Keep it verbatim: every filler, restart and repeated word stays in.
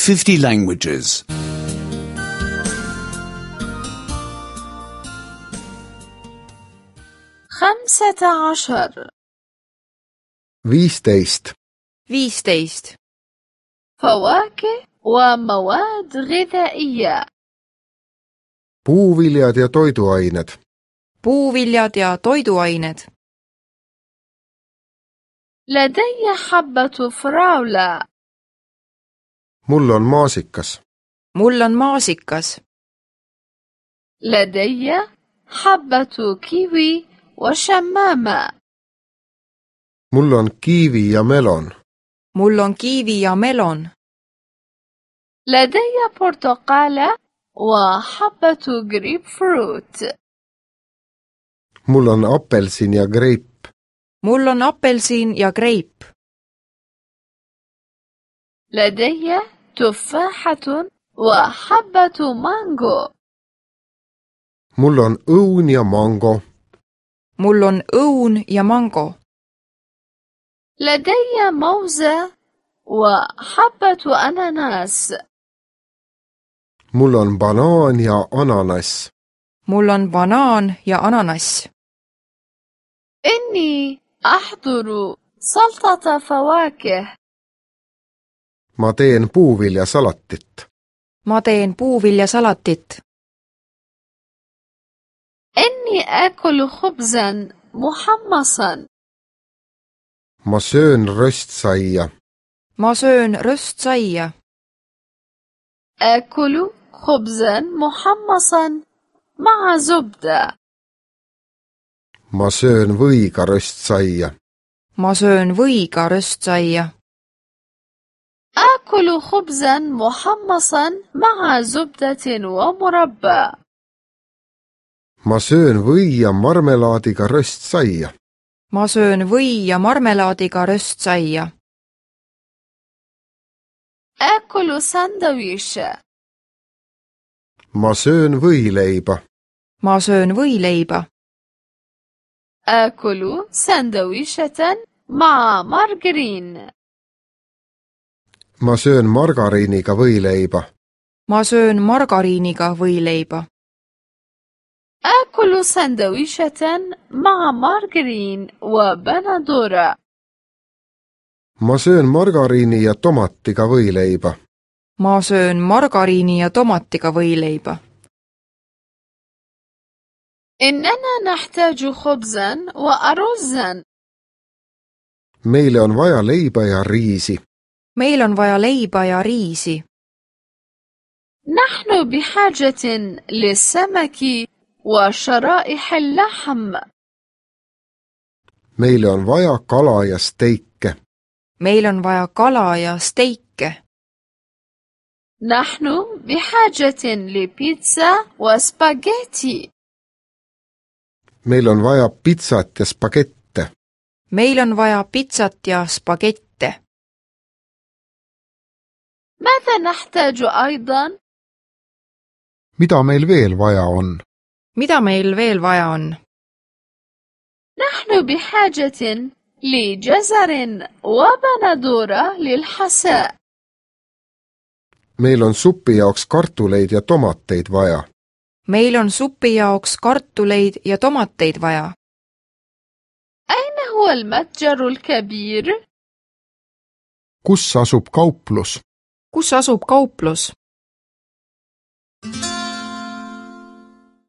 fifty languages. خمسة عشر viisteist, viisteist. فواكه ومواد غذائية. puuviljad ja toiduained, puuviljad ja toiduained. لدي حبة فراولة. mul on maasikas, mul on maasikas. لدي حبة كيوي وشمامة. mul on kiivi ja melon, mul on kiivi ja melon. لدي برتقالة وحبة جريب فروت. mul on apelsin ja greip, mul on apelsin ja greip. لدي تفاحة وحبة مانجو. mul on õun ja mango, mul on õun ja mango. لدي موزة وحبة أناناس. mul on banaan ja ananass, mul on banaan ja ananass. إني أحضر سلطة فواكه. ma teen puuviljasalatit, ma teen puuviljasalatit. إني آكل خبزا محمصا. ma söön röstsaia, ma söön röstsaia. آكل خبزا محمصا مع زبدة. ma söön võiga röstsaia, ma söön võiga röstsaia. آكل خبزا محمصا مع زبدة ومربى. ma söön või ja marmelaadiga röstsaia, ma söön või ja marmelaadiga röstsaia. آكل ساندويش. ma söön võileiba, ma söön võileiba. آكل ساندويشة مع مارجرين. ma söön margariiniga võileiba, ma söön margariiniga võileiba. آكل ساندويشة مع مارجرين وبندورة. ma söön margariini ja tomatiga võileiba, ma söön margariini ja tomatiga võileiba. إننا نحتاج خبزا وأرزا. meile on vaja leiba ja riisi, meil on vaja leiba ja riisi. نحن بحاجة للسمك وشرائح اللحم. meile on vaja kala ja steike, meil on vaja kala ja steike. نحن بحاجة لبيتزا وسباجيتي. meil on vaja pitsat ja spagette, meil on vaja pitsat ja spagette. ماذا نحتاج أيضا؟ mida meil veel vaja on? mida meil veel vaja on? نحن بحاجة لجزر وبندورة للحساء. meil on supi jaoks kartuleid ja tomateid vaja, meil on supi jaoks kartuleid ja tomateid vaja. أين هو المتجر الكبير؟ kus asub kauplus? kus asub kauplus?